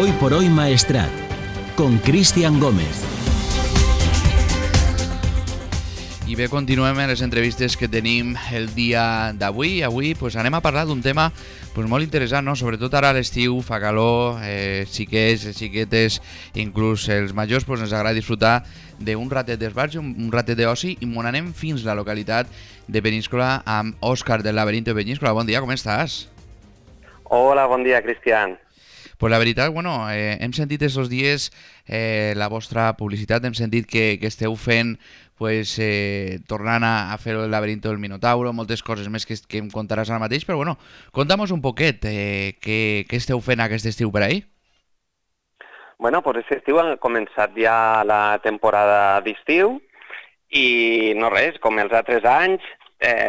Hoy por hoy Maestrat, con Cristian Gómez. I bé, continuem amb les entrevistes que tenim el dia d'avui. Avui anem a parlar d'un tema molt interessant, no? Sobretot ara a l'estiu, fa calor, xiquets, xiquetes, inclús els majors, ens agrada disfrutar d'un ratet d'esbarjo, un ratet d'oci, i anem fins a la localitat de Peníscola amb Òscar del Laberinto de Peníscola. Bon dia, com estàs? Hola, bon dia, Cristian. Pues la veritat, hem sentit aquests dies la vostra publicitat, hem sentit que esteu fent tornant a fer el laberinto del Minotauro, moltes coses més que em contaràs ara mateix, però conta'm un poquet què esteu fent aquest estiu per ahí. Bueno, pues aquest estiu ha començat ja la temporada d'estiu i no res, com els altres anys,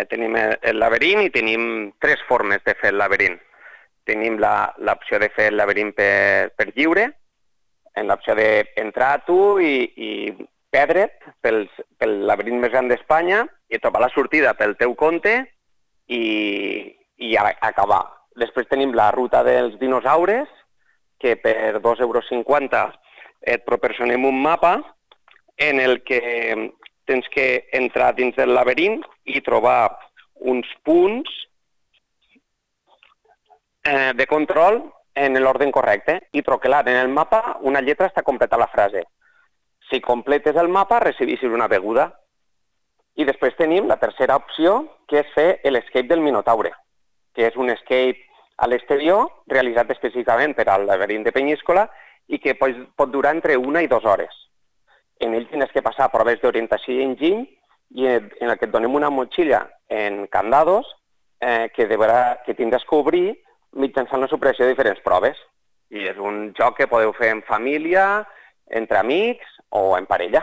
tenim el laberint i tenim tres formes de fer el laberint. Tenim l'opció de fer el laberint per lliure, en l'opció d'entrar tu i perdre't pel laberint més gran d'Espanya i trobar la sortida pel teu compte i acabar. Després tenim la ruta dels dinosaures, que per 2,50 € et proporcionem un mapa en el que tens que entrar dins del laberint i trobar uns punts de control en l'ordre correcte i troquelar en el mapa una lletra està completa la frase. Si completes el mapa, recibeixes una beguda. I després tenim la tercera opció, que és fer l'escape del Minotaure, que és un escape a l'exterior realitzat específicament per al laberint de Peníscola i que pot durar entre 1 i 2 hores. En ell tens que passar proves d'orientació i enginy i en el que et donem una motxilla en candados que tindràs que obrir mitjançant la superació de diferents proves. I és un joc que podeu fer en família, entre amics o en parella.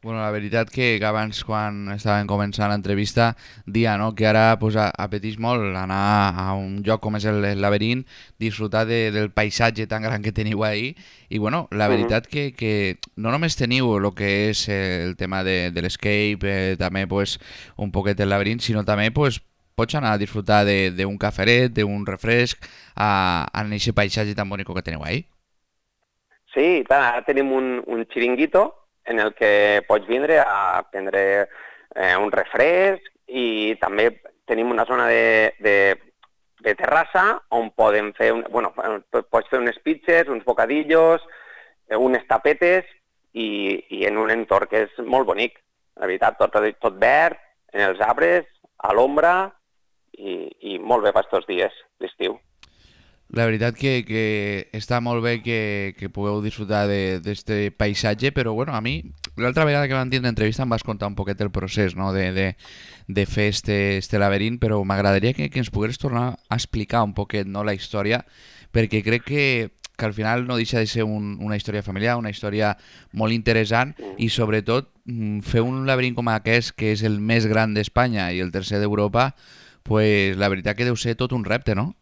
La veritat que abans, quan estàvem començant l'entrevista, dia que ara apeteix molt anar a un lloc com és el laberint, disfrutar del paisatge tan gran que teniu ahí, i la veritat que no només teniu el que és el tema de l'escape, també un poquet el laberint, sinó també pots anar a disfrutar d'un caferet, d'un refresc, en aquest paisatge tan bonic que teniu ahí. Sí, ara tenim un xiringuito en el que pots vindre a prendre un refresc i també tenim una zona de terrassa on podem fer, pots fer unes pizzas, uns bocadillos, unes tapetes i en un entorn que és molt bonic. La veritat, tot verd, en els arbres, a l'ombra i molt bé per aquests dies d'estiu. La veritat que està molt bé que pugueu disfrutar d'aquest paisatge, però a mi, l'altra vegada que vam tindre entrevista em vas contar un poquet el procés, no? de fer este laberint, però m'agradaria que ens pogués tornar a explicar un poquet, no, la història, perquè crec que al final no deixa de ser una història familiar, una història molt interessant i sobretot fer un laberint com aquest, que és el més gran d'Espanya i el tercer d'Europa, la veritat que deu ser tot un repte, no?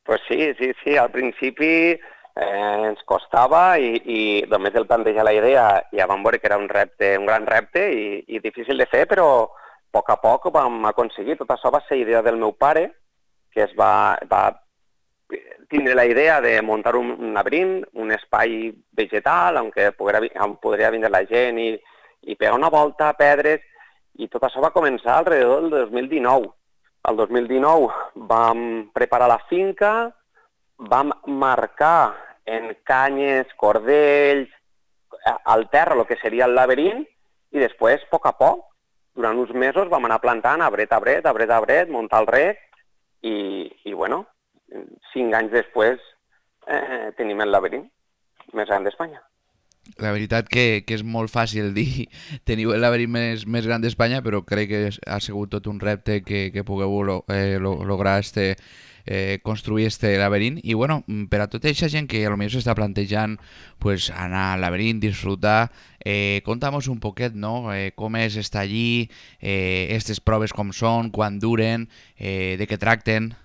Pues sí, al principi ens costava i només el plantejar la idea ja vam veure que era un gran repte i difícil de fer, però a poc a poc vam aconseguir. Tot això va ser idea del meu pare, que es va tindre la idea de muntar un laberint, un espai vegetal on podria vindre la gent i pegar una volta a pedres, i tot això va començar alrededor del 2019. El 2019 vam preparar la finca, vam marcar en canyes, cordells, al terra el que seria el laberint i després, a poc a poc, durant uns mesos vam anar plantant arbret a arbret, muntar el rec i 5 anys després tenim el laberint més gran d'Espanya. La veritat que és molt fàcil dir teniu el laberint més gran d'Espanya, però crec que ha sigut tot un repte que pugueu lograr construir este laberint. I per a tota aquesta gent que potser s'està plantejant anar al laberint, disfrutar, conta'm un poquet, no? Com és estar allí, aquestes proves com són, quan duren, de què tracten.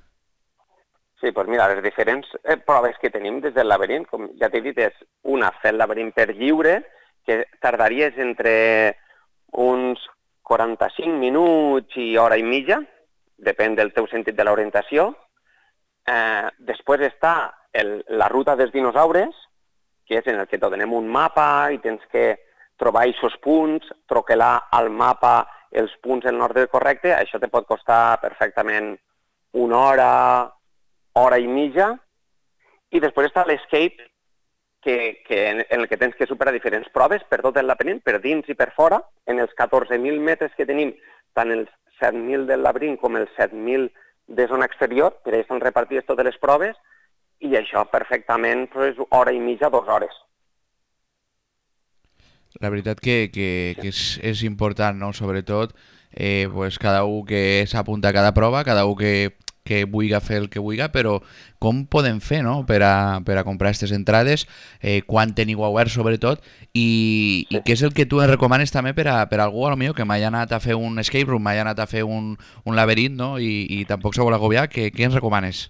Sí, doncs mira, les diferents proves que tenim des del laberint, com ja t'he dit, és una, fer el laberint per lliure, que tardaries entre uns 45 minuts i hora i mitja, depèn del teu sentit de l'orientació. Després està la ruta dels dinosaures, que és en el que donem un mapa i tens que trobar aquests punts, troquelar al mapa els punts en l'ordre correcte, això te pot costar perfectament una hora, hora i mitja, i després està l'escape, en el que tens que superar diferents proves per tot el laberint, per dins i per fora, en els 14.000 metres que tenim, tant els 7.000 del laberint com els 7.000 de zona exterior, per allà estan repartides totes les proves, i això perfectament és hora i mitja, 2 hores. La veritat que és important, no? Sobretot, pues cada un que s'apunta a cada prova, cada un que vulgui fer el que vulgui, però com podem fer, no?, per a comprar aquestes entrades, quan teniu obert sobretot, i què és el que tu ens recomanes també per a algú potser que m'hagi anat a fer un escape room, m'hagi anat a fer un laberint, no?, i tampoc se vol agobiar, què ens recomanes?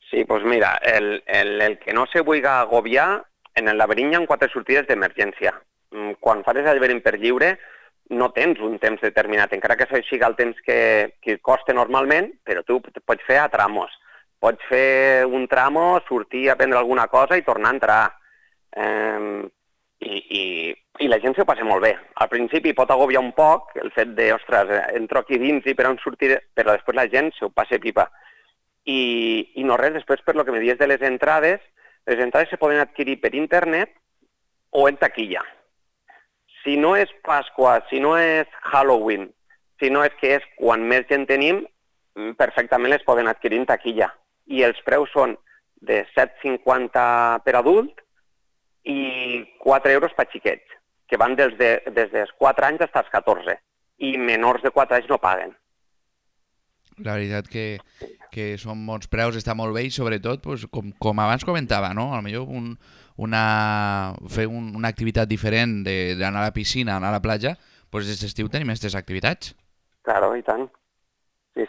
Sí, doncs mira, el que no se vulgui agobiar, en el laberint hi ha 4 sortides d'emergència. Quan fas el laberint per lliure, no tens un temps determinat, encara que això sigui el temps que costa normalment, però tu pots fer a tramos. Pots fer un tramo, sortir a prendre alguna cosa i tornar a entrar. I la gent s'ho passa molt bé. Al principi pot agobiar un poc el fet de, ostres, entro aquí dins i per on sortir, però després la gent s'ho passa pipa. I no res, després per lo que me dius de les entrades se poden adquirir per internet o en taquilla. Si no és Pasqua, si no és Halloween, si no és que és quan més gent tenim, perfectament les poden adquirir en taquilla. I els preus són de 7,50 per adult i 4 euros per xiquets, que van des dels 4 anys fins als 14. I menors de 4 anys no paguen. La veritat que són bons preus, està molt bé i sobretot, pues, com abans comentava, no? A lo millor fer una activitat diferent d'anar a la piscina, anar a la platja, pues des d'estiu tenim aquestes activitats. Claro, i tant.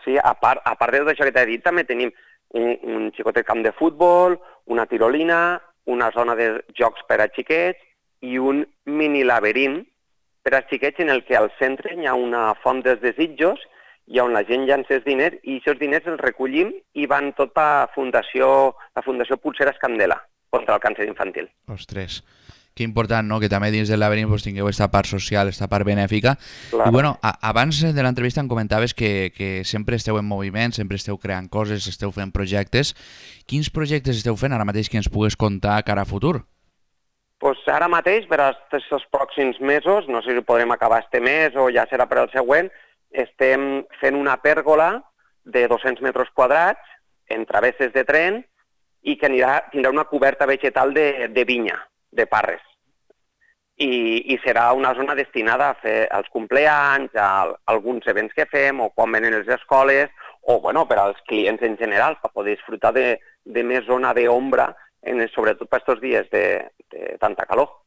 Sí, a part de tot això que t'he dit, també tenim un xicotet camp de futbol, una tirolina, una zona de jocs per a xiquets i un mini laberint per a xiquets en el que al centre hi ha una font dels desitjos i on la gent llança els diners i aquests diners els recollim i van tot a la Fundació Pulseres Candela contra el càncer infantil. Ostres, que important, no?, que també dins del laberint pues, tingueu aquesta part social, aquesta part benèfica. Claro. I bueno, abans de l'entrevista em comentaves que sempre esteu en moviment, sempre esteu creant coses, esteu fent projectes. Quins projectes esteu fent ara mateix que ens pugues contar cara a futur? Pues ara mateix, per als pròxims mesos, no sé si podrem acabar este mes o ja serà per al següent, estem fent una pèrgola de 200 metres quadrats en travesses de tren i que tindrà una coberta vegetal de vinya, de parres. I serà una zona destinada a fer els compleanys, a alguns events que fem o quan venen les escoles o bueno, per als clients en general, per poder disfrutar de més zona d'ombra, sobretot per aquests dies de tanta calor.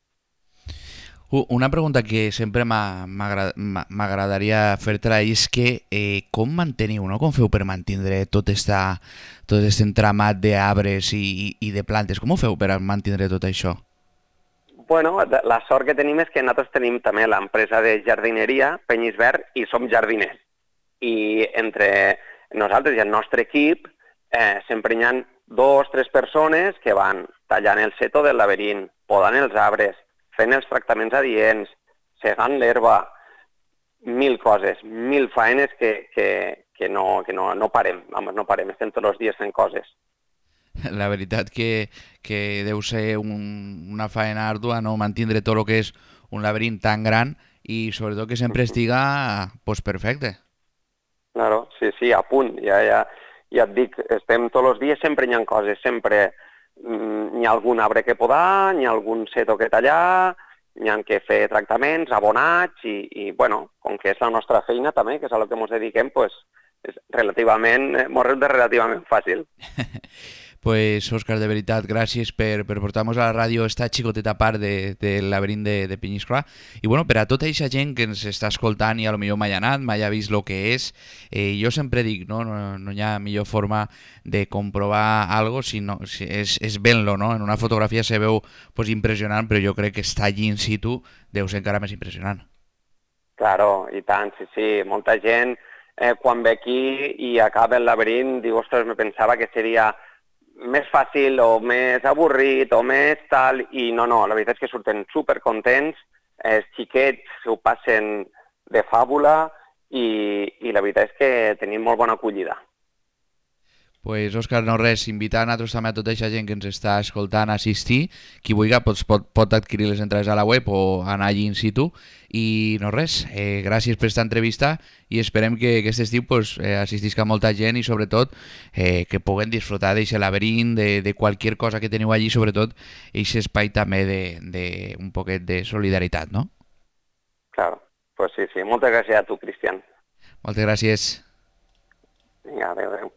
Una pregunta que sempre m'agradaria fer-te-la és que com manteniu, no? Com feu per mantenir tot aquest entramat d'arbres i de plantes? Com ho feu per mantenir tot això? Bueno, la sort que tenim és que nosaltres tenim també l'empresa de jardineria, Penyisverd, i som jardiners. I entre nosaltres i el nostre equip sempre hi ha 2 o 3 persones que van tallant el seto del laberint, podant els arbres, fent els tractaments adients, segant l'herba, 1000 coses, 1000 faenes que no parem. Vamos, no parem, estem tots els dies fent coses. La veritat que deu ser una faena ardua, no?, mantenir tot el que és un laberint tan gran i sobretot que sempre estiga pues, perfecte. Claro, sí, a punt. Ja et dic, estem tots els dies, sempre hi ha coses, sempre hi ha algun arbre que podar, hi ha algun seto que tallar, hi ha que fer tractaments, abonats i bueno, com que és la nostra feina també, que és a lo que ens dediquem, pues, és relativament, mos resulta relativament fàcil. Pues, Òscar, de veritat, gràcies per portar-nos a la ràdio esta xicoteta part del laberint de Penyiscola. I bueno, per a tota aquesta gent que ens està escoltant i a lo millor mai ha anat, mai ha vist el que és, jo sempre dic, no hi ha millor forma de comprovar algo si és vent-lo, no? En una fotografia se veu pues, impressionant, però jo crec que estar allí in situ deu ser encara més impressionant. Claro, i tant, sí. Molta gent quan ve aquí i acaba el laberint diu, ostres, me pensava que seria més fàcil o més avorrit o més tal, i no, la veritat és que surten supercontents, els xiquets ho passen de fàbula i la veritat és que tenim molt bona acollida. Pues, Òscar, no res, invitant a també a tota aquesta gent que ens està escoltant a assistir. Qui vulgui pot adquirir les entrades a la web o anar allí in situ. I no res, gràcies per aquesta entrevista i esperem que aquest estiu assistisca molta gent i sobretot que puguen disfrutar d'aquest laberint, de qualsevol cosa que teniu allí, sobretot aquest espai també de un poquet de solidaritat, no? Claro, pues sí. Moltes gràcies a tu, Cristian. Moltes gràcies. Vinga, adéu.